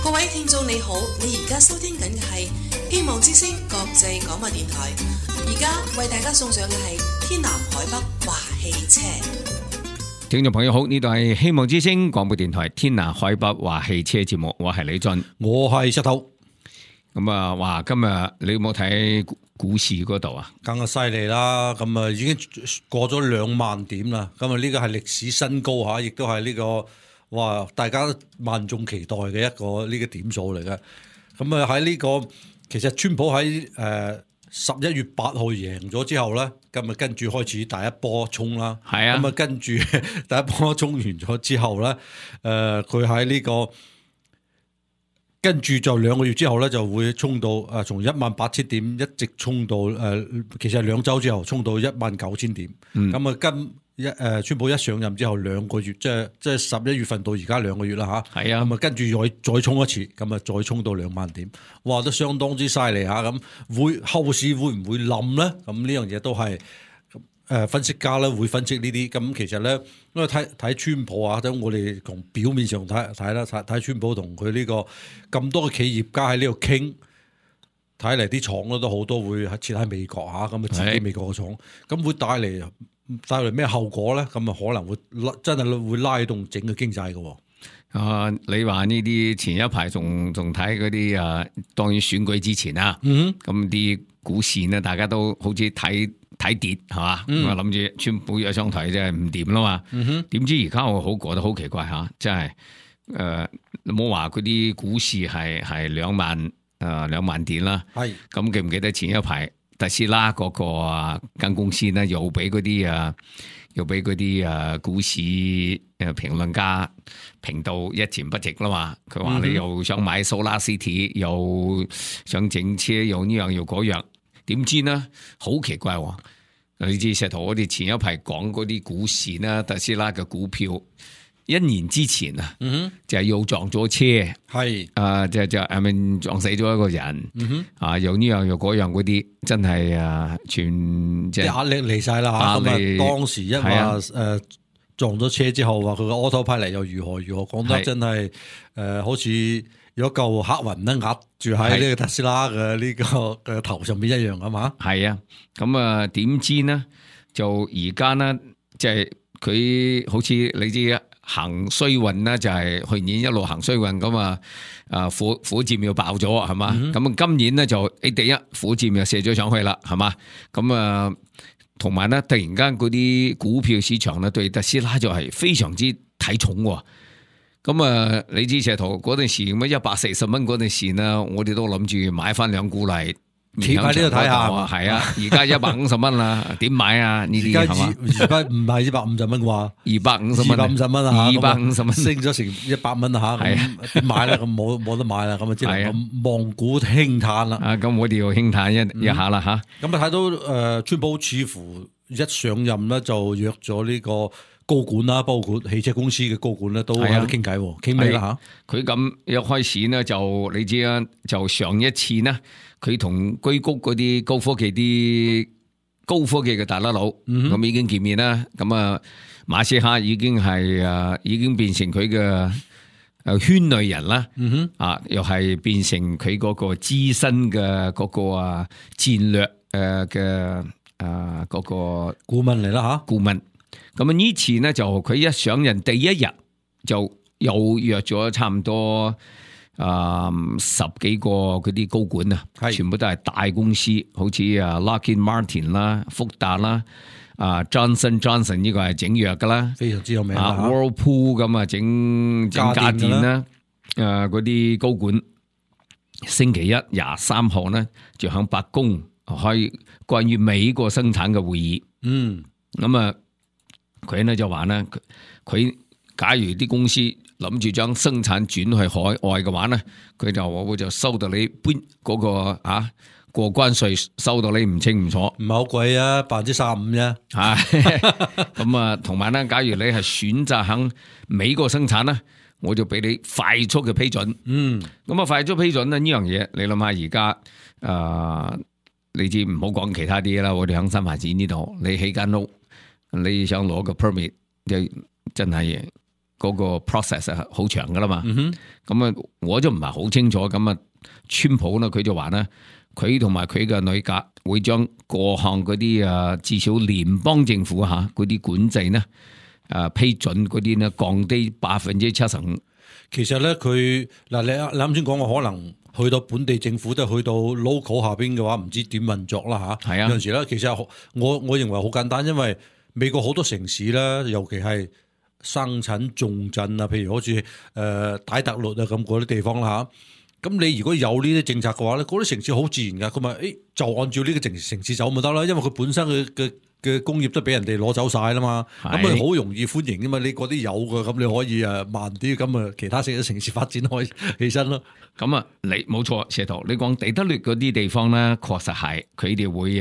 各位聽眾你好，你而家收聽緊嘅係希望之聲國際廣播電台，而家為大家送上嘅係天南海北話汽車。聽眾朋友好，呢度係希望之聲廣播電台天南海北話汽車節目，我係李俊，我係石頭。咁啊，哇！今日你有冇睇股市嗰度啊？更加犀利啦！咁啊，已經過咗2萬點啦。咁啊，呢個係歷史新高嚇，亦都係呢個哇，大家萬眾期待嘅一個呢個點數嚟嘅。咁啊，喺呢個其實川普喺11月8號贏咗之後咧，咁啊跟住開始第一波衝啦。係啊。咁啊跟住第一波衝完咗之後咧，佢喺呢個跟住就2個月之後咧，就會衝到從18,000點一直衝到其實2週之後衝到19,000點。咁啊川普一上任之後2個月，即係11月份到而家2個月啦嚇。係啊。咁啊跟住再衝一次，咁啊再衝到2萬點，哇都相當之犀利嚇。咁後市會唔會冧咧？咁呢樣嘢都係分析家咧會分析呢啲。咁其實咧，因為睇川普啊，等我哋從表面上睇啦，睇川普同佢呢個咁多嘅企業家喺呢度傾，睇嚟啲廠咧都好多會設喺美國嚇，咁啊自己美國嘅廠，咁會帶嚟咩後果咧？咁啊可能會真係會拉動整個經濟嘅。你話呢啲前一排仲睇嗰啲當然選舉之前啊，咁啲股市呢，大家都好似睇跌係嘛，咁啊諗住川普一上台真係唔掂啦嘛，點知而家我覺得好奇怪嚇，真係你冇話嗰啲股市係2萬點啦，咁記唔記得前一排特斯拉嗰個間公司呢，又俾嗰啲股市評論家評到一錢不值啦嘛？佢話你又想買 Solar City，又想整車，又呢樣又嗰樣，點知呢？好奇怪喎！你知石頭，我哋前一排講嗰啲股市呢，特斯拉嘅股票1年之前啊，就係又撞咗車，係就撞死咗一個人，又呢樣又嗰樣嗰啲，真係全即係壓力嚟晒啦嚇。咁啊，當時一話撞咗車之後，話佢個 autopilot 又如何，講得真係好似有一嚿黑雲咧壓住喺呢個特斯拉嘅呢個嘅頭上邊一樣啊嘛。係啊，咁啊點知呢？就而家呢，即係佢好似你知行衰運啦，就係去年一路行衰運咁啊！火箭又爆咗係嘛？咁今年咧就第一火箭又射咗上去啦，係嘛？咁啊，同埋咧突然間嗰啲股票市場咧對特斯拉就係非常之睇重喎。咁啊，你知石頭嗰陣時咁140蚊嗰陣時呢，我哋都諗住買翻2股嚟。企喺呢度睇下，係啊！而家150蚊啦，點買啊？呢啲係嘛？而家唔係150蚊啩？250蚊啊！250蚊升咗成100蚊啊！吓，點買啦？咁冇得買啦！咁啊，只能望股輕嘆啦！咁我哋要輕嘆一下啦吓。咁啊，睇到川普似乎一上任咧，就約咗呢個高管啦，包括汽車公司嘅高管咧，都喺度傾偈，傾咩啦吓？佢咁一開始呢，就你知啊，就上一次呢。佢同硅谷嗰啲高科技嘅大佬咁已經見面啦。咁啊，馬斯克已經變成佢嘅圈內人啦。又係變成佢嗰個資深嘅嗰個戰略嘅嗰個顧問嚟啦吓。顧問。咁啊呢次呢就佢一上任第一日就又約咗差唔多。10幾個嗰啲高管啊，全部都係大公司，好似Lockheed Martin 啦、福達啦、Johnson 呢個係整藥噶啦，非常之有名啦。Whirlpool 咁啊整家電啦，嗰啲高管星期一23號呢就響白宮開關於美國生產嘅會議。咁啊佢呢就話呢，佢假如啲公司諗住將生產轉去海外嘅話呢，佢就我會就收到你搬嗰個過關稅，收到你唔清唔楚，唔係好貴啊，35%啫。咁啊，同埋呢，假如你係選擇喺美國生產呢，我就俾你快速嘅批准。咁啊，快速批准呢樣嘢，你諗下而家你知唔好講其他啲啦，我哋喺新發展呢度，你起間屋，你想攞個 permit，就真係嗰個 process 係好長噶啦嘛。咁啊，我就唔係好清楚。咁啊，川普呢，佢就話呢，佢同埋佢嘅內閣會將各項嗰啲至少聯邦政府嗰啲管制呢，批准嗰啲呢降低75%。其實咧，佢嗱你啱先講過，可能去到本地政府，即係去到 local 下邊嘅話，唔知點運作啦嚇。係啊，有陣時咧，其實我認為好簡單，因為美國好多城市咧，尤其係生產重鎮啊，譬如好似底特律啊咁嗰啲地方啦嚇。咁你如果有呢啲政策嘅話咧，嗰啲城市好自然噶，佢咪就按照呢個城市走咪得啦，因為佢本身嘅工業都俾人哋攞走晒啦嘛，咁咪好容易歡迎噶嘛。你嗰啲有嘅，咁你可以慢啲，咁啊其他城市發展開起身咯。咁啊，你冇錯，石頭，你講底特律嗰啲地方咧，確實係佢哋會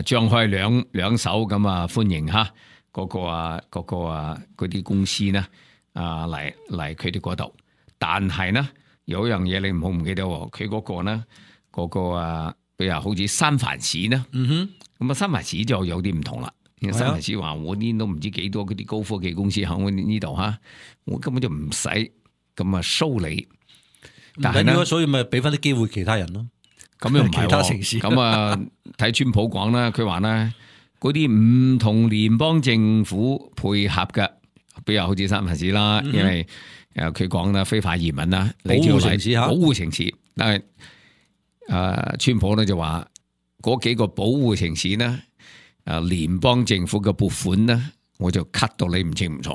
張開兩手咁歡迎嗰啲公司呢嚟佢哋嗰度。但係呢，有一樣嘢你唔好唔記得，佢嗰個呢比如好似三藩市呢，咁三藩市就有啲唔同啦。三藩市話我呢都唔知幾多嗰啲高科技公司喺我呢度我根本就唔使咁收你。但係呢，所以咪俾翻啲機會其他人咯。咁又唔係其他城市咁睇川普講啦，佢話呢嗰啲唔同聯邦政府配合嘅，比如好似三藩市啦，因為佢講啦非法移民啦，保護城市保護城市，但係川普咧就話嗰幾個保護城市呢，聯邦政府嘅撥款呢，我就 cut 到你唔清唔楚。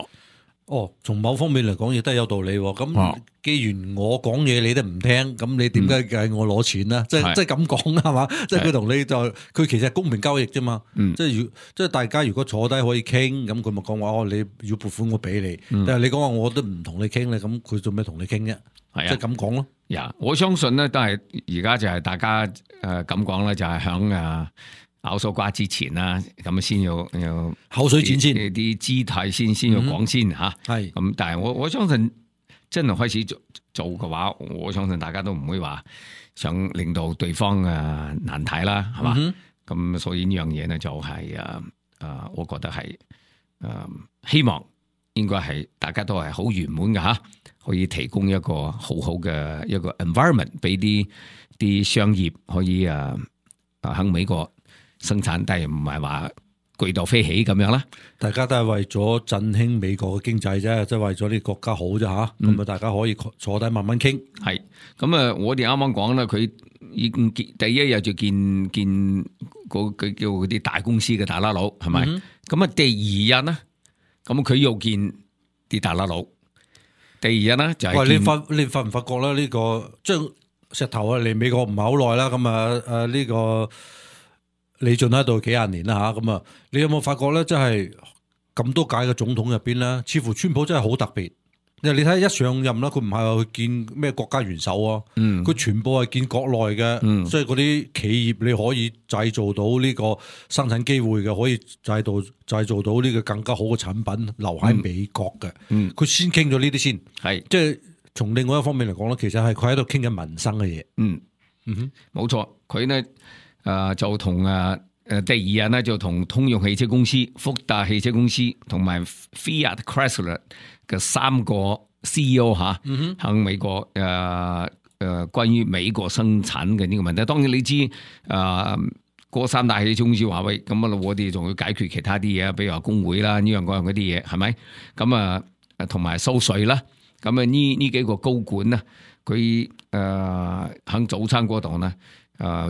從某方面嚟講亦都有道理。咁既然我講嘢你都唔聽，咁你點解計我攞錢呢？即係咁講係嘛？即係佢同你就佢其實係公平交易啫嘛。即係大家如果坐低可以傾，咁佢咪講話你要撥款我俾你。但係你講話我都唔同你傾咧，咁佢做咩同你傾啫？即係咁講咯。我相信呢都係而家就係大家咁講咧，就係響咬手瓜之前啦，咁先要口水戰先，啲姿態先要講先吓。係咁，但係我相信真係開始做嘅話，我相信大家都唔會話想令到對方難睇啦，係嘛？咁所以呢樣嘢呢就係我覺得係希望應該係大家都係好圓滿嘅吓，可以提供一個好好嘅一個 environment 俾啲商業可以喺美國生產，但係唔係話巨到飛起咁樣啦。大家都係為咗振興美國嘅經濟啫，即係為咗啲國家好啫吓。咁大家可以坐低慢慢傾。係咁我哋啱啱講啦，佢已經第一日就見佢叫嗰啲大公司嘅大喇佬，係咪？咁第二日呢，咁佢又見啲大喇佬。第二日呢，就係你發唔發覺咧？呢個將石頭嚟美國唔係好耐啦，咁呢個。李俊喺度幾廿年啦吓，咁你有冇發覺咧？即係咁多屆嘅總統入邊咧，似乎川普真係好特別。你睇一上任啦，佢唔係話去見咩國家元首啊，佢全部係見國內嘅，即係嗰啲企業你可以製造到呢個生產機會嘅，可以製造到呢個更加好嘅產品留喺美國嘅。佢先傾咗呢啲先，係即係從另外一方面嚟講咧，其實係佢喺度傾緊民生嘅嘢。冇錯，佢呢。就同第二日呢，就同通用汽車公司、福特汽車公司同埋 Fiat Chrysler 嘅三個 CEO 喺美國關於美國生產嘅呢個問題。當然你知嗰三大汽車公司話喂，咁我哋仲要解決其他啲嘢，比如話工會啦，呢樣嗰樣嗰啲嘢係咪？咁同埋收稅啦。咁呢幾個高管呢，佢喺早餐嗰度呢。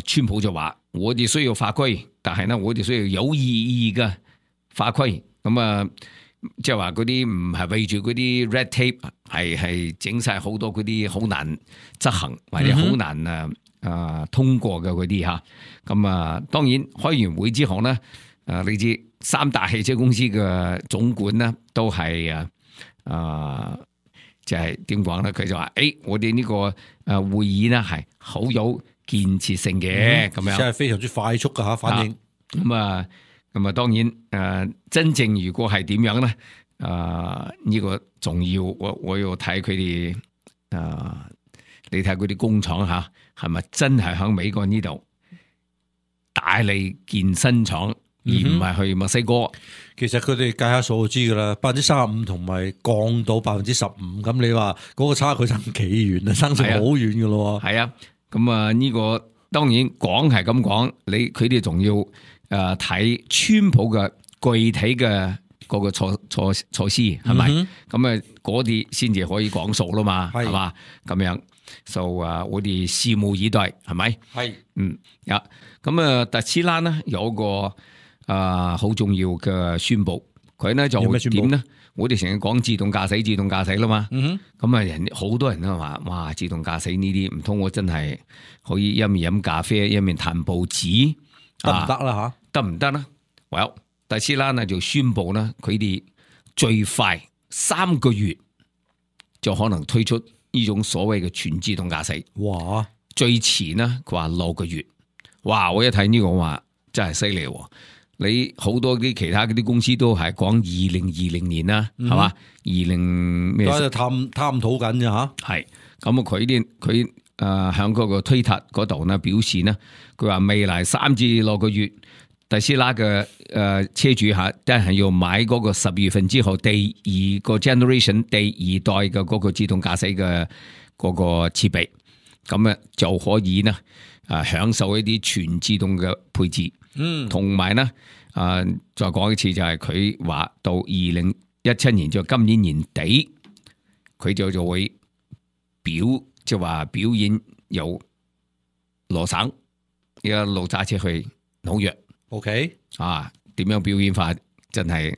川普就話我哋需要法規，但係呢，我哋需要有意義嘅法規。咁即係話嗰啲唔係為住嗰啲 red tape， 係整晒好多嗰啲好難執行或者好難通過嘅嗰啲吓。咁當然開完會之後呢，你知三大汽車公司嘅總管呢都係就係點講咧？佢就話我哋呢個會議呢係好有建設性嘅咁樣，即係非常之快速噶吓反應。咁當然真正如果係點樣咧？呢個重要，我要睇佢哋你睇佢啲工廠係咪真係喺美國呢度大力建新廠？而唔係去墨西哥。其實佢哋計下數就知㗎啦，35%同埋降到15%，咁你話嗰個差距爭幾遠啊？爭成好遠㗎咯喎。係啊，咁啊呢個當然講係咁講，佢哋仲要睇川普嘅具體嘅嗰個措施係咪？咁啊嗰啲先至可以講數啦嘛，係嘛？咁樣就我哋拭目以待，係咪？係，咁啊特斯拉呢有個好重要嘅宣佈，佢呢就點呢？我哋成日講自動駕駛啦嘛，咁啊好多人都話哇自動駕駛呢啲唔通我真係可以一面飲咖啡一面彈報紙得唔得啦吓？得唔得呢？特斯拉呢就宣佈呢，佢哋最快3個月就可能推出呢種所謂嘅全自動駕駛。哇！最遲呢佢話6個月。哇！我一睇呢個話真係犀利喎。你好多啲其他嗰啲公司都係講2020年啦，係嘛？20咩？都喺度探討緊啫吓。係咁佢響嗰個推特嗰度呢表示呢，佢話未來3至6個月，特斯拉嘅車主吓，都係要買嗰個12月份之後第二個 generation 第2代嘅嗰個自動駕駛嘅嗰個設備，咁啊就可以呢享受一啲全自動嘅配置。同埋呢，再講一次就係佢話到2017年就今年年底，佢就會即係話表演由羅省一路揸車去紐約。OK， 點樣表演法真係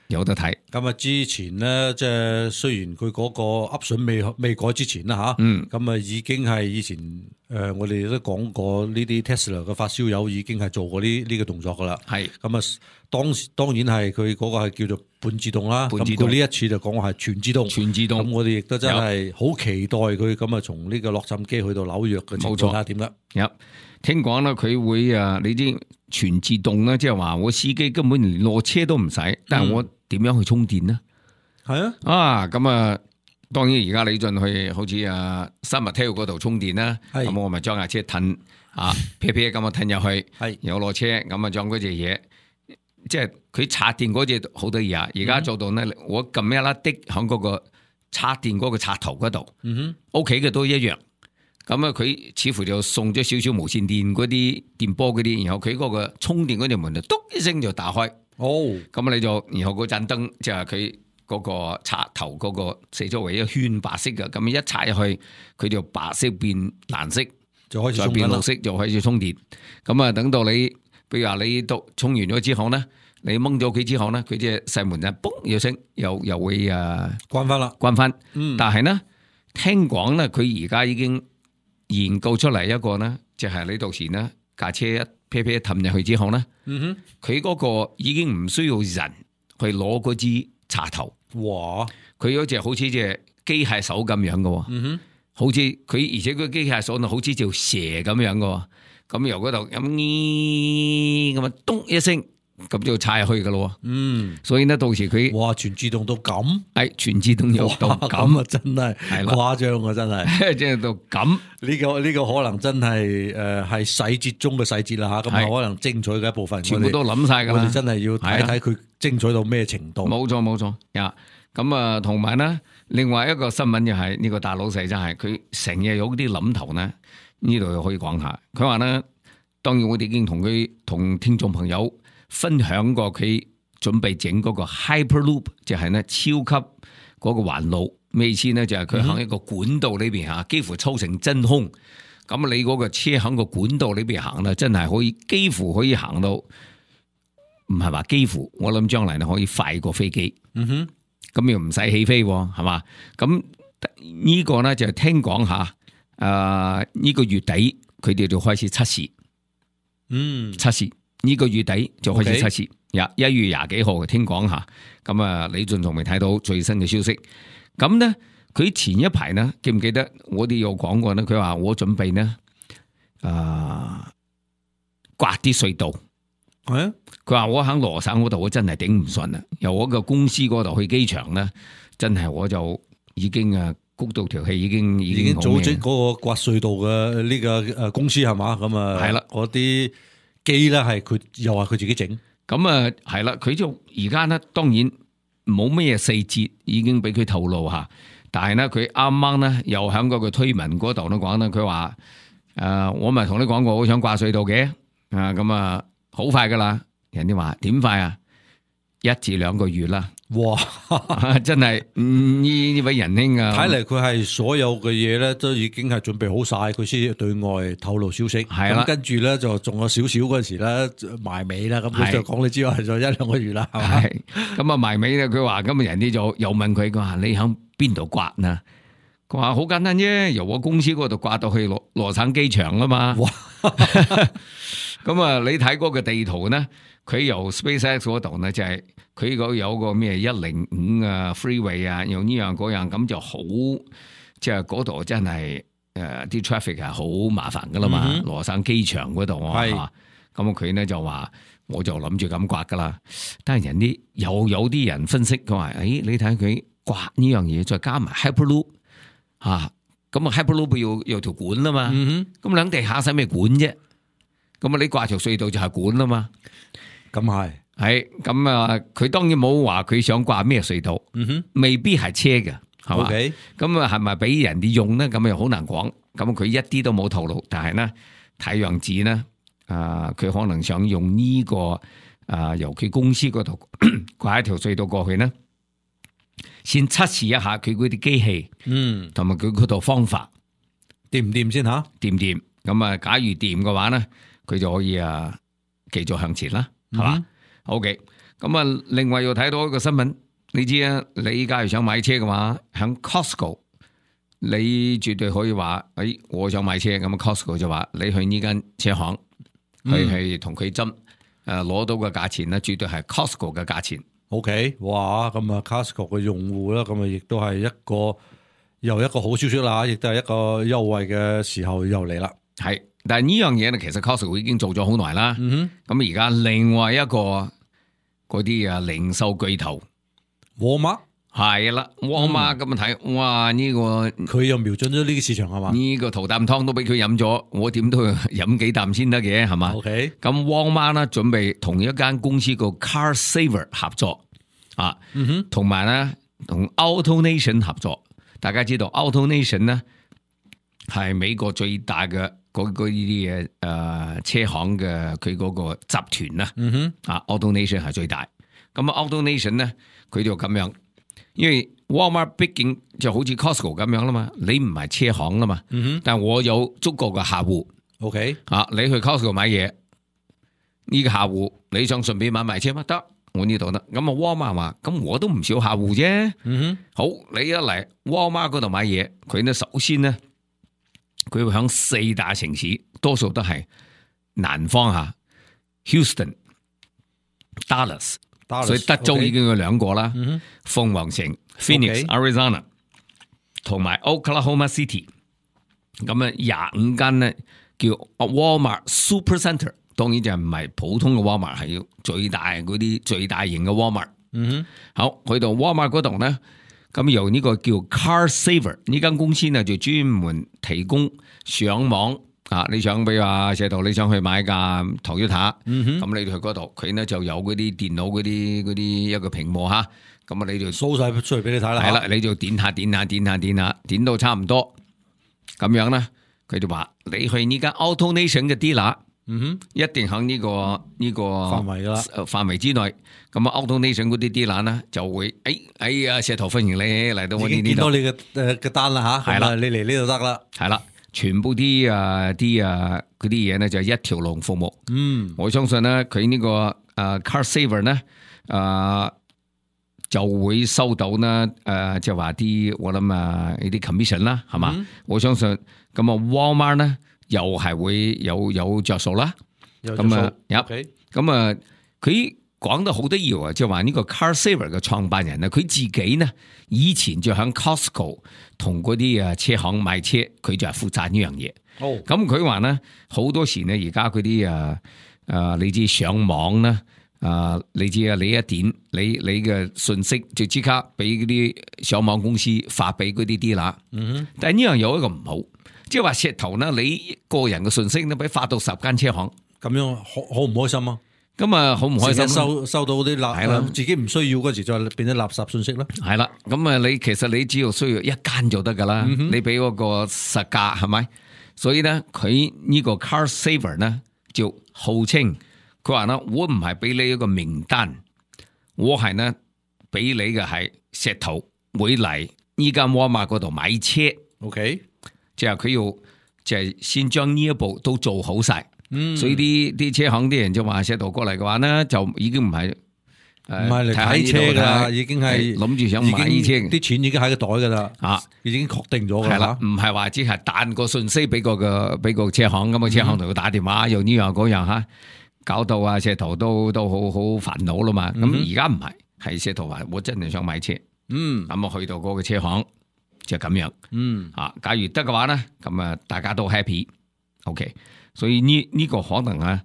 有得睇。咁啊，之前咧，即係雖然佢嗰個 option 未改之前啦吓，咁啊已經係以前我哋都講過呢啲 Tesla 嘅發燒友已經係做過呢個動作噶啦。係咁啊，當然係佢嗰個係叫做半自動啦。咁佢呢一次就講話係全自動。咁我哋亦都真係好期待佢咁啊，從呢個洛杉磯去到紐約嘅情況睇下點啦。聽講啦，佢會你知全自動咧，即係話我司機根本連落車都唔使，但係我點樣去充電呢？係咁啊，當然而家你進去好似生物體育嗰度充電啦，咁我咪將架車褪撇撇咁啊褪入去，有落車咁啊將嗰隻嘢，即係佢插電嗰隻好多嘢啊！而家做到呢，我撳一粒的響嗰個插電嗰個插頭嗰度，屋企嘅都一樣。咁啊，佢似乎就送咗少少無線電嗰啲電波嗰啲，然後佢嗰個充電嗰條門就嘟一聲就打開。咁你就然後嗰盞燈就係佢嗰個插頭嗰個四周圍一圈白色嘅，咁一插入去，佢就白色變藍色，就開始再變綠色，就開始充電。咁啊，等到你，譬如話你都充完咗之後咧，你掹咗佢之後咧，佢隻細門就嘣一聲，又會關翻啦，關翻。但係呢，聽講咧，佢而家已經研究出嚟一個呢，就係你到時呢架車一撇撇氹入去之後呢，佢嗰個已經唔需要人去攞嗰支插頭。哇！佢嗰隻好似隻機械手咁樣嘅，好似佢而且個機械手好似條蛇咁樣嘅，咁由嗰度咁啊咚一聲。咁就插入去噶咯，所以呢到時佢哇全自動到咁，全自動又到咁啊，真係誇張啊，真係，即係到咁呢個可能真係係細節中嘅細節啦吓，咁啊可能精彩嘅一部分，全部都諗晒噶啦，我哋真係要睇睇佢精彩到咩程度。冇錯呀，咁啊同埋呢，另外一個新聞就係呢個大老細真係佢成日有啲諗頭呢，呢度又可以講下。佢話呢，當然我哋已經同聽眾朋友分享過佢準備整嗰個 Hyperloop， 就係呢超級嗰個環路，咩意思呢？就係佢喺一個管道裏邊幾乎抽成真空。咁你嗰個車喺個管道裏邊行啦，真係可以幾乎可以行到，唔係話幾乎，我諗將來可以快過飛機。咁又唔使起飛，係嘛？咁呢個呢，就聽講下，呢個月底佢哋就開始測試，測試。呢個月底就開始測試，1月20幾號聽講下，咁啊李俊仲未睇到最新嘅消息。咁呢，佢前一排呢，記唔記得我哋有講過呢？佢話我準備呢，刮啲隧道。佢話我喺羅省嗰度，我真係頂唔順啦。由我個公司嗰度去機場呢，真係我就已經谷到條氣，已經組織嗰個刮隧道嘅呢個公司係嘛？咁啊係啦，嗰啲機咧係佢又話佢自己整，咁啊係啦，佢就而家咧當然冇咩細節已經俾佢透露吓，但係咧佢啱啱咧又喺嗰個推文嗰度都講咧，佢話我咪同你講過好想掛隧道嘅咁啊好快噶啦，人哋話點快啊？1至2個月啦。哇！真係呢位仁兄啊，睇嚟佢係所有嘅嘢咧都已經係準備好晒，佢先對外透露消息。係啦，咁跟住咧就仲有少少嗰陣時咧埋尾啦，咁佢就講你之外就1-2個月啦，係嘛？係咁啊埋尾咧，佢話咁啊人哋就又問佢，佢話你喺邊度刮啊？佢話好簡單啫，由我公司嗰度刮到去羅省機場啊嘛。哇！咁啊，你睇嗰個地圖咧，佢由 SpaceX 嗰度咧就係佢嗰有個咩105啊 freeway 啊，用呢樣嗰樣，咁就好即係嗰度真係啲 traffic 係好麻煩噶啦嘛。羅省機場嗰度啊，咁佢咧就話我就諗住咁刮噶啦，但係人啲又有啲人分析佢話，你睇佢刮呢樣嘢，再加埋 Hyperloop 咁啊 Hyperloop 要條管啊嘛，咁兩地下使咩管啫？咁啊，你掛條隧道就係管啦嘛。咁係咁啊，佢當然冇話佢想掛咩隧道，未必係車嘅，係嘛？咁啊，係咪俾人哋用咧？咁又好難講。咁佢一啲都冇透露，但係咧睇樣子咧，佢可能想用呢個由佢公司嗰度掛一條隧道過去咧，先測試一下佢嗰啲機器，同埋佢嗰套方法掂唔掂先吓？掂唔掂？咁啊，假如掂嘅話咧，佢就可以繼續向前啦，係嘛？OK，咁啊，另外又睇到一個新聞，你知啊，你假如想買車嘅話，喺 Costco， 你絕對可以話，我想買車，咁啊 Costco 就話你去呢間車行，去同佢斟，攞到嘅價錢咧，絕對係 Costco 嘅價錢。OK， 哇，咁啊 Costco 嘅用戶啦，咁啊亦都係又一個好消息啦，亦都係一個優惠嘅時候又嚟啦。係。但係呢樣嘢咧，其實 Costco 已經做咗好耐啦。咁而家另外一個嗰啲零售巨頭，Walmart 係啦，Walmart咁睇，哇呢個佢又瞄準咗呢個市場係嘛？呢個桃啖湯都俾佢飲咗，我點都要飲幾啖先得嘅係嘛？OK，咁 Walmart 咧準備同一間公司個 Car Saver 合作同埋咧同 AutoNation 合作。大家知道 AutoNation 咧係美國最大嘅。嗰啲嘢車行嘅佢嗰個集團啦，AutoNation 係最大。咁啊 AutoNation 咧，佢就咁樣，因為 Walmart 畢竟就好似 Costco 咁樣啦嘛，你唔係車行啦嘛，但我有足夠嘅客戶。OK，你去 Costco 買嘢，呢個客戶你想順便買車乜得？我呢度得。咁啊 Walmart 話，咁我都唔少客戶啫。好，你一嚟 Walmart 嗰度買嘢，佢呢首先呢。佢會響4大城市，多數都係南方Houston、Dallas， 所以德州已經有2個啦，鳳凰城 Phoenix、Arizona， 同埋 Oklahoma City。咁啊25間咧叫 Walmart Super Center， 當然就唔係普通嘅 Walmart， 係要最大嗰啲最大型嘅 Walmart。好，去到 Walmart 嗰度咧。咁由呢個叫 Car Saver 呢間公司呢，就專門提供上網你想比如話石頭你想去買架 Toyota，咁你去嗰度，佢呢就有嗰啲電腦嗰啲一個屏幕咁你就 show 晒出嚟俾你睇啦。係啦，你就點到差唔多，咁樣呢，佢就話你去呢間 AutoNation 嘅 dealer。一定喺呢個範圍啦，範圍之內。咁啊 ，AutoNation 嗰啲啲欄咧就會，石頭歡迎你嚟到我呢度。見到你嘅單啦吓，係啦，你嚟呢度得啦。係啦，全部啲嗰啲嘢咧就一條龍服務。我相信咧佢呢個Car Saver 咧就會收到呢即係話啲我諗呢啲 commission 啦，係嘛？我相信咁啊 Walmart 咧。又係會有着數啦，咁啊，咁啊，佢講得好得意啊，即係話呢個 Car Saver 嘅創辦人啊，佢自己呢以前就喺 Costco 同嗰啲車行買車，佢就係負責呢樣嘢。咁佢話呢好多時呢，而家嗰啲你知上網啦，你知你一點你嘅信息就即刻俾嗰啲上網公司發俾嗰啲啲啦。但係呢樣有一個唔好。即係話石頭呢，你個人嘅信息呢，俾發到10間車行，咁樣好唔開心啊？咁啊好唔開心，收到啲係啦自己唔需要嗰時再變咗垃圾信息啦。係啦，咁啊其實你只要需要一間就得噶啦，你俾嗰個實價係咪？所以咧佢呢個 Car Saver 咧就號稱佢話咧，我唔係俾你一個名單，我係呢俾你嘅係石頭會嚟呢間 Walmart 嗰度買車。OK， 即係佢要就係先將呢一步都做好晒。所以啲車行啲人就話石頭過嚟嘅話呢，就已經唔係嚟睇車噶啦，已經係諗住想買呢車，啲錢已經喺個袋噶啦，已經確定咗噶啦，唔係話只係彈個信息俾個車行，咁個車行同佢打電話又呢樣嗰樣吓，搞到啊石頭都好煩惱啦嘛。咁而家唔係，係石頭話我真係想買車，咁啊去到嗰個車行就咁樣，假如得嘅話咧，咁啊大家都 happy，OK。所以呢個可能啊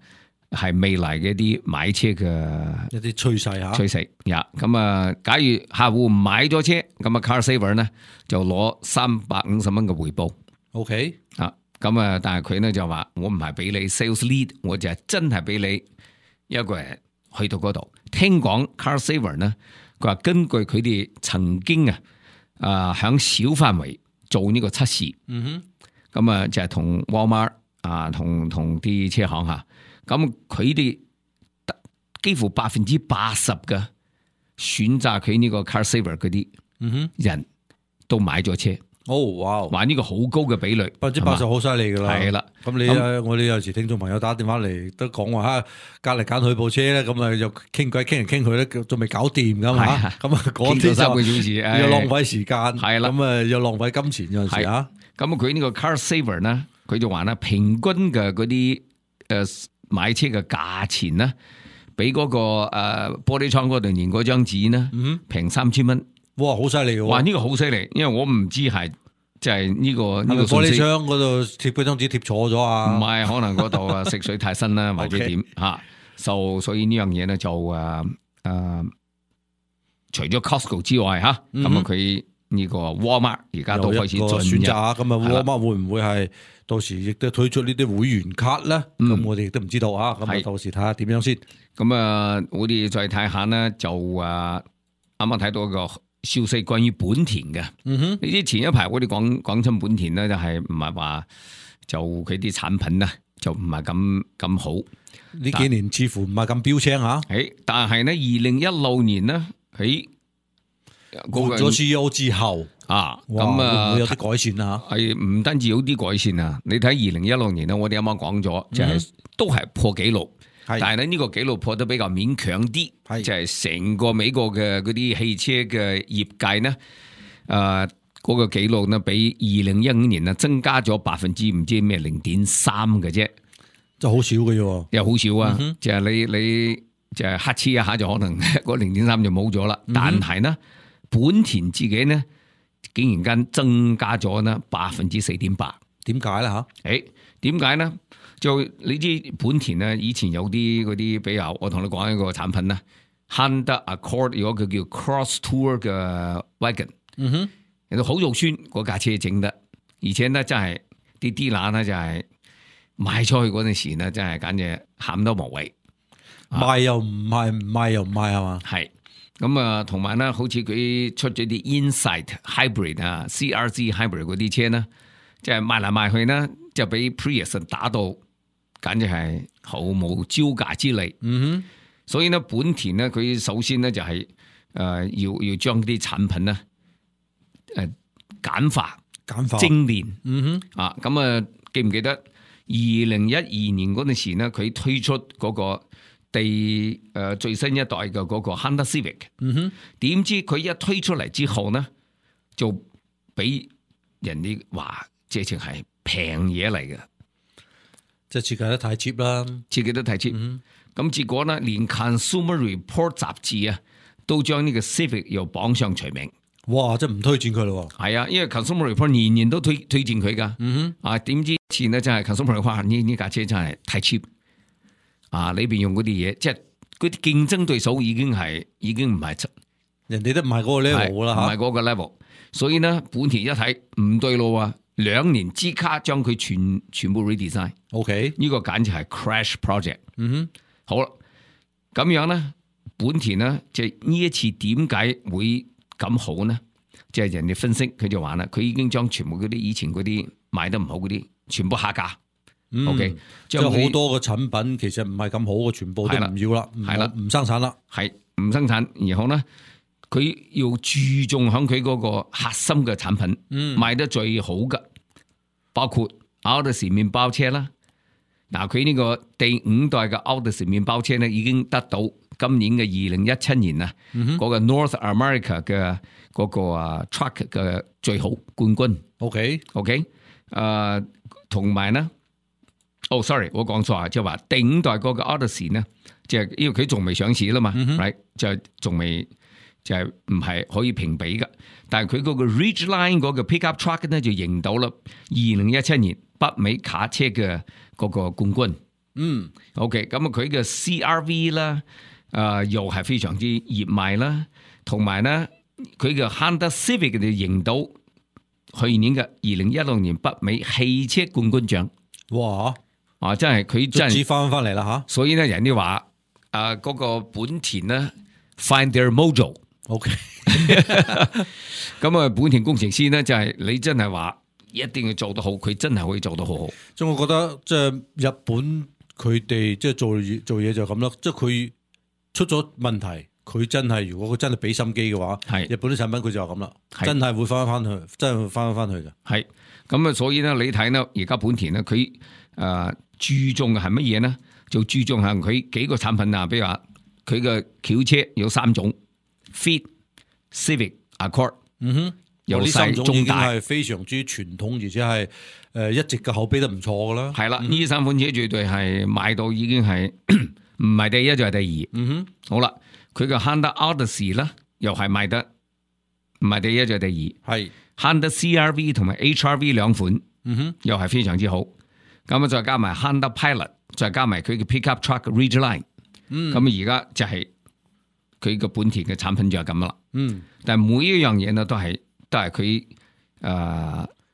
係未來嘅一啲買車嘅一啲趨勢嚇，趨勢呀。咁啊，假如客戶唔買咗車，咁啊 Car Saver 呢就攞350蚊嘅回報。OK 啊，咁啊，但係佢呢就話我唔係俾你 sales lead， 我就係真係俾你一個人去到嗰度。聽講 Car Saver 呢，佢話根據佢哋曾經響小範圍做呢個測試，咁啊就係同 Walmart。同啲車行吓，咁佢哋幾乎80%嘅選擇佢呢個 Car Saver 嗰啲人都買咗車。哇！話呢個好高嘅比率，80%好犀利噶啦。係啦，咁我哋有時聽眾朋友打電話嚟都講話隔嚟揀佢部車咧，咁啊又傾偈傾嚟傾去咧，仲未搞掂噶嘛？咁啊嗰啲3個小時又浪費時間，係啦，咁啊又浪費金錢有陣時啊。咁佢呢個 Car Saver 呢？佢就話咧，平均嘅嗰啲買車嘅價錢咧，比嗰個玻璃窗嗰度連嗰張紙咧，平3000蚊。哇，好犀利喎！哇，呢個好犀利，因為我唔知係即係呢個玻璃窗嗰度貼嗰張紙貼錯咗啊？唔係，可能嗰度食水太深啦，或者點嚇。所以呢樣嘢咧就除咗 Costco 之外嚇，咁啊佢呢個 Walmart 而家都開始選擇啊。咁啊 Walmart 會唔會係？到時亦都推出呢啲會員卡咧，咁我哋亦都唔知道啊。咁啊，到時睇下點樣先。咁啊，我哋再睇下呢，就啱啱睇到一個消息關於本田嘅。呢啲前一排我哋講親本田咧，就係唔係話就佢啲產品呢，就唔係咁好。呢幾年似乎唔係咁標青嚇。但係呢2016年呢，喺換咗 CEO 之後。咁啊，會有啲改善啊？係唔單止有啲改善啊！你睇2016年咧，我哋啱啱講咗，就係都係破紀錄，但係咧呢個紀錄破得比較勉強啲，就係成個美國嘅嗰啲汽車嘅業界呢，嗰個紀錄呢，比2015年呢增加咗%唔知咩0.3嘅啫，就好少嘅啫，又好少啊！就係你就係黑黐一下就可能嗰0.3就冇咗啦，但係呢本田自己呢，竟然間增加咗呢4.8%，點解咧吓？點解呢？就你知本田呢，以前有啲嗰啲，比如我同你講一個產品啦 ，Honda Accord 有個叫 Cross Tour 嘅 wagon，人哋好肉酸嗰架車整得，而且呢真係啲dealer呢就係賣出去嗰陣時呢，真係簡直喊都無謂，賣又唔賣，唔賣又唔賣係嘛？係。咁啊，同埋咧，好似佢出咗啲 Insight Hybrid 啊、CRZ Hybrid 嗰啲車咧，即係賣嚟賣去呢，就俾 Prius 打到，簡直係毫無招架之力。所以呢，本田呢，佢首先呢，就係要將啲產品呢簡化、精煉。咁啊，記唔記得2012年嗰陣時呢，佢推出嗰個最新一代嘅嗰個 Honda Civic，點知佢一推出嚟之後呢，就俾人哋話直情係平嘢嚟嘅，即係設計得太 cheap 啦，設計得太 cheap。咁結果呢，連 Consumer Report 雜誌啊，都將呢個 Civic 又綁上除名。哇！真係唔推薦佢咯。係啊，因為 Consumer Report 年年都推薦佢噶。點知前呢真係 Consumer Report 話呢架車真係太 cheap。裏邊用嗰啲嘢，即係嗰啲競爭對手已經唔係人哋都唔係嗰個 level 啦，唔係嗰個 level。所以呢，本田一睇唔對路啊，2年之卡將佢全部 redesign。OK， 呢個簡直係 crash project。好啦，咁樣咧，本田咧就呢一次點解會咁好呢？即係人哋分析佢就話啦，佢已經將全部嗰啲以前嗰啲賣得唔好嗰啲全部下架。OK，即係好多嘅產品其實唔係咁好嘅，全部都唔要啦，係啦，唔生產啦，係唔生產。然後咧，佢要注重響佢嗰個核心嘅產品，賣得最好嘅，包括 Odyssey 麵包車啦。嗱，佢呢個第5代嘅 Odyssey 麵包車咧，已經得到今年嘅2017年啊，嗰個 North America 嘅嗰個truck 嘅最好冠軍。OK，同埋咧。sorry， 我講錯啊，即係話第5代嗰個 Odyssey 呢，即係因為佢仲未上市啦嘛，right 就仲未就係唔係可以評比嘅。但係佢嗰個 Ridgeline 嗰個 pickup truck 呢，就贏到啦2017年北美卡車嘅嗰個冠軍。OK， 咁啊佢嘅 CRV 啦，又係非常之熱賣啦，同埋呢佢嘅 Honda Civic 就贏到去年嘅2016年北美汽車冠軍獎。哇！真係佢真係翻嚟啦吓，所以咧人哋話嗰個本田咧 find their mojo。OK， 咁啊本田工程師咧就係你真係話一定要做得好，佢真係可以做得好好。即係我覺得即係日本佢哋即係做嘢就咁啦，即係佢出咗問題，佢真係如果佢真係俾心機嘅話，係日本啲產品佢就係咁啦，真係會翻去，真係會翻去嘅。係咁啊，所以咧你睇咧而家本田咧佢注重嘅係乜嘢呢？就注重係佢幾個產品啊，比如話佢嘅轎車有3種 ，Fit、Civic、Accord， 有呢3種已經係非常之傳統，而且係一直嘅口碑都唔錯噶啦。係啦，呢3款車絕對係賣到已經係唔係第一就係第2。好啦，佢嘅 Honda Odyssey 咧又係賣得唔係第一就係第2。係 Honda CRV 同埋 HRV 2款，又係非常之好。咁啊，再加埋 Honda Pilot， 再加埋佢嘅 Pickup Truck Ridgeline， 咁而家就係佢個本田嘅產品就係咁啦。但係每一樣嘢呢都係佢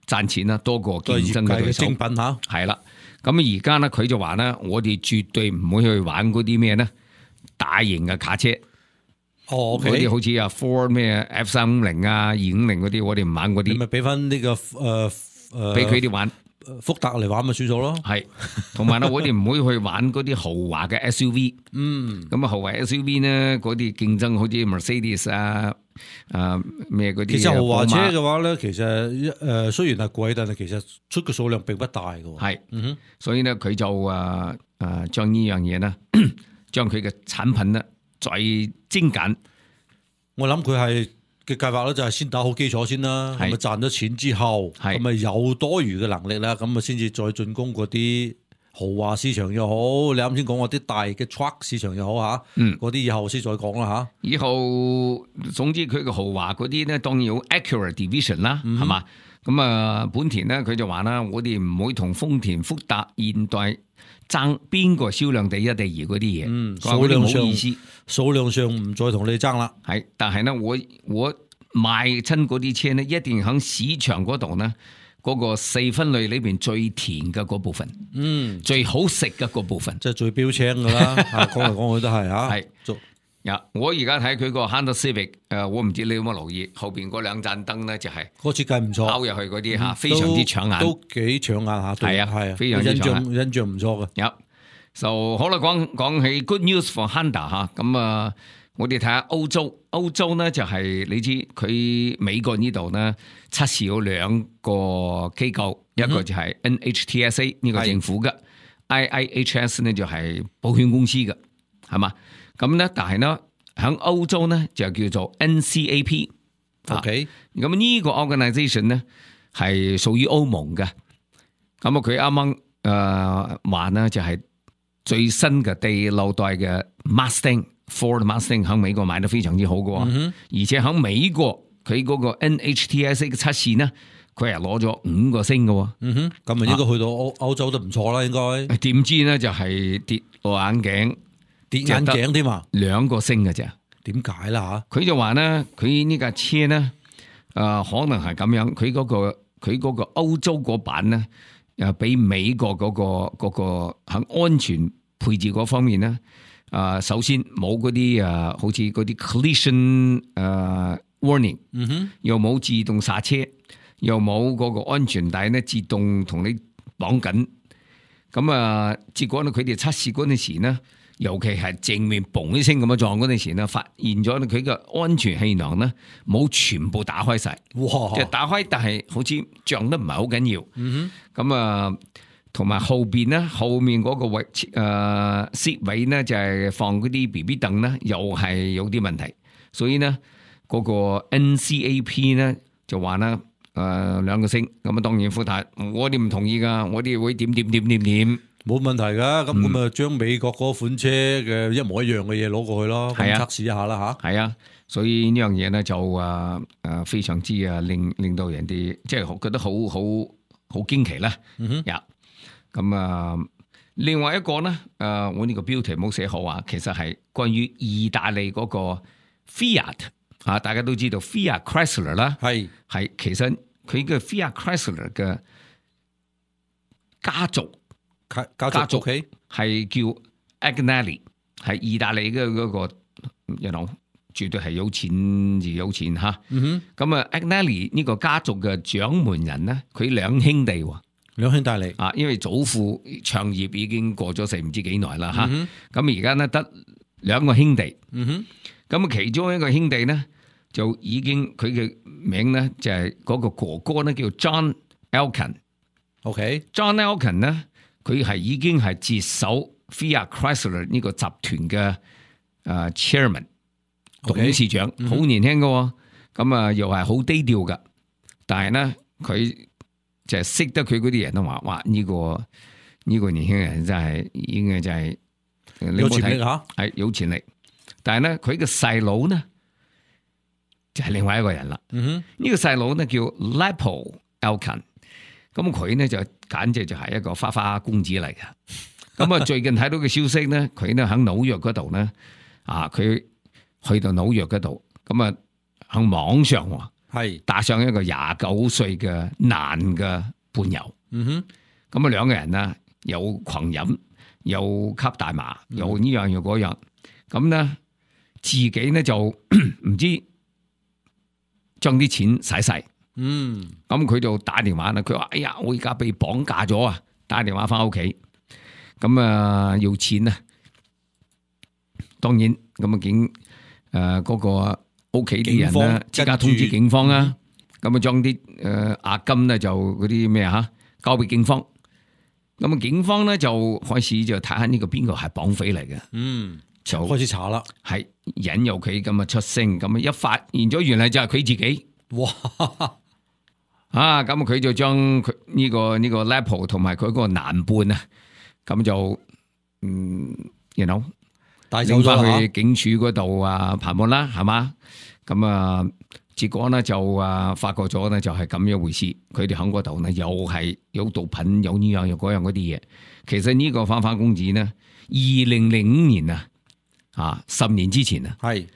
賺錢啦，多過競爭嘅對手。精品嚇，係啦。咁而家呢，佢就話呢，我哋絕對唔會去玩嗰啲咩呢大型嘅卡車。嗰啲好似Ford 咩 F350啊、250嗰啲，我哋唔玩嗰啲。你咪俾翻呢個俾佢哋玩。福特嚟玩咪算數咯，係，同埋咧我哋唔會去玩嗰啲豪華嘅 SUV，咁啊豪華 SUV 呢嗰啲競爭好似 Mercedes 咩嗰啲。其實豪華車嘅話咧，其實雖然係貴，但係其實出嘅數量並不大嘅。係，所以呢，佢就將呢樣嘢呢，將佢嘅產品呢再精簡。我諗佢係。嘅計劃咧就係先打好基礎先啦，咁啊賺咗錢之後，咁啊有多餘嘅能力啦，咁啊先至再進攻嗰啲豪華市場又好，你啱先講嗰啲大嘅 truck 市場又好嚇，嗰啲以後先再講啦嚇。以後總之佢嘅豪華嗰啲咧，當然有 Acura Division 啦，係嘛？咁啊本田咧佢就話啦，我哋唔會同豐田、福特、現代爭邊個銷量第一、第2嗰啲嘢，數量上冇意思，數量上唔再同你爭啦。係，但係呢，我賣親嗰啲車呢，一定喺市場嗰度呢，嗰個4分類裏邊最甜嘅嗰部分，最好食嘅嗰部分，即係最標青噶啦。講嚟講去都係嚇。係。我而家睇佢個 Honda Civic， 我唔知你有冇留意後邊嗰2盞燈咧，就係個設計唔錯，包入去嗰啲嚇，非常之搶眼，都幾搶眼下。係啊，非常之搶眼，印象唔錯嘅。有，就好啦，講起 good news for Honda 嚇，咁啊，我哋睇下歐洲呢就係你知佢美國呢度呢測試有2個機構，一個就係 NHTSA 呢個政府嘅，IIHS 呢就係保險公司嘅，係嘛？咁咧，但係呢，喺歐洲呢，就叫做 NCAP。OK， 咁呢個 organisation 呢係屬於歐盟嘅。咁啊，佢啱啱話呢就係最新嘅第6代嘅 Ford Mustang 喺美國賣得非常之好嘅，而且喺美國佢嗰個 NHTSA 嘅測試呢，佢係攞咗5個星嘅。咁啊應該去到歐洲都唔錯啦，應該。點知呢就係跌落眼鏡。跌眼鏡添嘛，2個星嘅啫。點解啦嚇？佢就話呢，佢呢架車呢，可能係咁樣。佢嗰個歐洲嗰版呢，比美國嗰個喺安全配置嗰方面呢，首先冇嗰啲好似嗰啲 collision warning，又冇自動剎車，又冇嗰個安全帶咧自動同你綁緊。咁結果咧佢哋測試嗰陣時咧，尤其係正面嘣一聲咁樣撞嗰陣時咧，發現咗佢嘅安全氣囊咧冇全部打開晒，哇！即係打開，但係好似撞得唔係好緊要。咁同埋後邊咧，後面嗰個位seat位咧就係放嗰啲 BB 凳咧，又係有啲問題，所以咧嗰個 NCAP 咧就話咧2個星，咁當然副太我哋唔同意噶，我哋會點，冇問題噶，咁咪將美國嗰款車嘅一模一樣嘅嘢攞過去咯，咁測試一下啦吓。係啊，所以呢樣嘢咧就非常之令到人哋即係覺得好驚奇啦。咁另外一個咧我呢個標題冇寫好啊，其實係關於意大利嗰個 Fiat 大家都知道 Fiat Chrysler 啦，係其實佢嘅 Fiat Chrysler 嘅家族係叫 Agnelli， 係意大利嘅嗰個絕對係有錢吓。咁Agnelli 呢個家族嘅掌門人咧，佢兩兄弟嚟因為祖父創業已經過咗世唔知幾耐啦吓。咁而家咧得2個兄弟。咁其中一個兄弟咧就已經佢嘅名咧就係嗰個哥哥咧叫 John Elkann。John Elkann 咧佢係已經係接手 Fiat Chrysler 呢個集團嘅chairman 董事長，好年輕嘅，咁又係好低調噶。但係咧佢就係識得佢嗰啲人都話，哇呢個年輕人真係應該就係有潛力吓，係有潛力。但係咧佢嘅細佬呢就係另外一個人啦。呢個細佬呢叫 Lapo Elkann。咁佢呢就簡直就係一個花花公子嚟嘅。咁最近睇到嘅消息呢，佢呢喺紐約嗰度呢，佢去到紐約嗰度，咁喺網上係搭上一個29歲嘅男嘅伴遊。咁2個人呢又狂飲，又吸大麻，又呢樣又嗰樣。咁呢自己呢就唔知將啲錢使晒。咁佢就打電話啦，佢話：哎呀，我而家被綁架咗啊！打電話翻屋企，咁要錢啊！當然咁嗰個屋企啲人咧，即刻通知警方啊！咁將啲押金咧就嗰啲咩交俾警方。咁警方咧就開始就睇下呢個邊個係綁匪嚟嘅。就開始查啦，係引誘佢咁出聲，咁一發現咗原來就係佢自己。哇！咁佢就將佢呢個 Lapo 同埋佢嗰個男伴啊，咁就帶走翻去警署嗰度盤問啦，係嘛？咁結果呢就發覺咗呢就係咁樣回事。佢哋喺嗰度呢又係有毒品，有呢樣又嗰樣嗰啲嘢。其實呢個花花公子呢，2005年10年之前係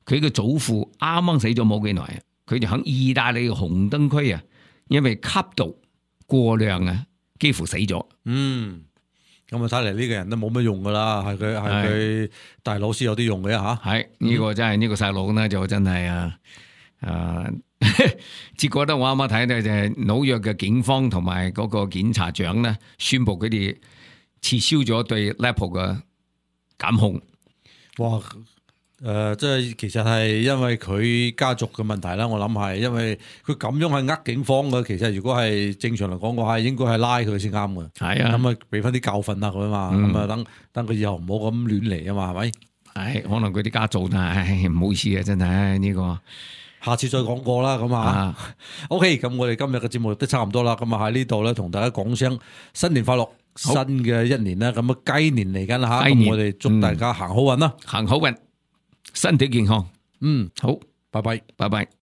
佢嘅祖父啱啱死咗冇幾耐，佢就喺意大利嘅紅燈區因為吸毒過量幾乎死咗。咁睇嚟呢個人都冇乜用噶啦，係佢大佬先有啲用嘅吓。係呢個真係呢個細佬呢就真係結果咧我啱啱睇到就係紐約嘅警方同埋嗰個檢察長呢宣布佢哋撤銷咗對 Lapo 嘅檢控。哇！即係其實係因為佢家族嘅問題啦，我諗係因為佢咁樣係警方嘅，其實如果係正常嚟講嘅話，應該係拉佢先啱嘅。係咁俾翻啲教訓啊佢嘛，咁等佢以後唔好咁亂嚟啊嘛，係咪？係可能佢啲家族唔好意思啊，真係呢個，下次再講過啦，咁OK，咁我哋今日嘅節目都差唔多啦，咁喺呢度咧同大家講聲新年快樂，新嘅一年啦，咁雞年嚟緊啦吓，咁我哋祝大家行好運啦，行好運。身體健康，好，拜拜，拜拜。